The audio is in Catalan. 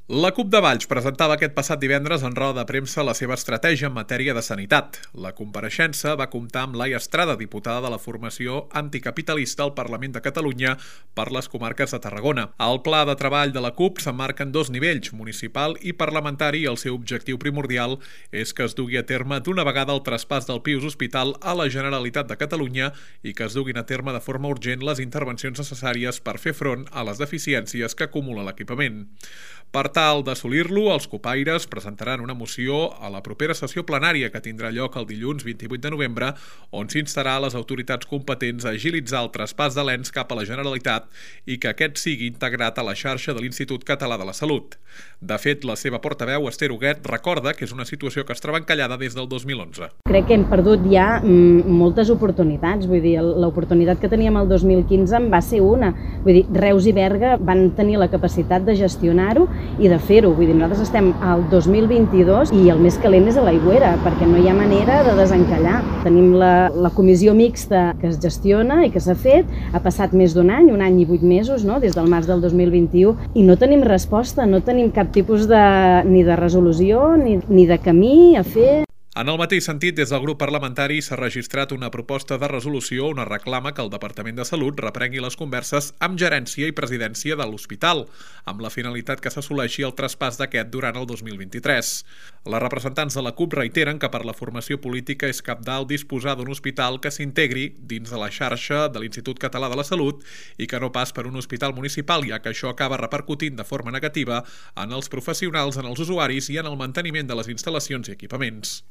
La CUP de Valls presentava aquest passat divendres en roda de premsa la seva estratègia en matèria de sanitat. La compareixença va comptar amb Laia Estrada, diputada de la formació anticapitalista al Parlament de Catalunya per les comarques de Tarragona. El pla de treball de la CUP s'emmarca en dos nivells, municipal i parlamentari, i el seu objectiu primordial és que es dugui a terme d'una vegada el traspàs del Pius Hospital a la Generalitat de Catalunya i que es duguin a terme de forma urgent les intervencions necessàries per fer front a les deficiències que acumula l'equipament. Per tal d'assolir-lo, els copaires presentaran una moció a la propera sessió plenària que tindrà lloc el dilluns 28 de novembre, on s'instarà a les autoritats competents a agilitzar el traspàs de l'ENS cap a la Generalitat i que aquest sigui integrat a la xarxa de l'Institut Català de la Salut. De fet, la seva portaveu, Esther Huguet, recorda que és una situació que es troba encallada des del 2011. Crec que hem perdut ja moltes oportunitats, vull dir, l'oportunitat que teníem el 2015 en va ser una. Vull dir, Reus i Berga van tenir la capacitat de gestionar-ho i de fer-ho. Vull dir, nosaltres estem al 2022 i el més calent és a l'aigüera, perquè no hi ha manera de desencallar. Tenim la comissió mixta que es gestiona i que s'ha fet, ha passat més d'un any, 1 any i 8 mesos, no? Des del març del 2021, i no tenim resposta, no tenim cap tipus ni de resolució ni de camí a fer. En el mateix sentit, des del grup parlamentari s'ha registrat una proposta de resolució on es reclama que el Departament de Salut reprengui les converses amb gerència i presidència de l'hospital, amb la finalitat que s'assoleixi el traspàs d'aquest durant el 2023. Les representants de la CUP reiteren que per la formació política és cabdal disposar d'un hospital que s'integri dins de la xarxa de l'Institut Català de la Salut i que no pas per un hospital municipal, ja que això acaba repercutint de forma negativa en els professionals, en els usuaris i en el manteniment de les instal·lacions i equipaments.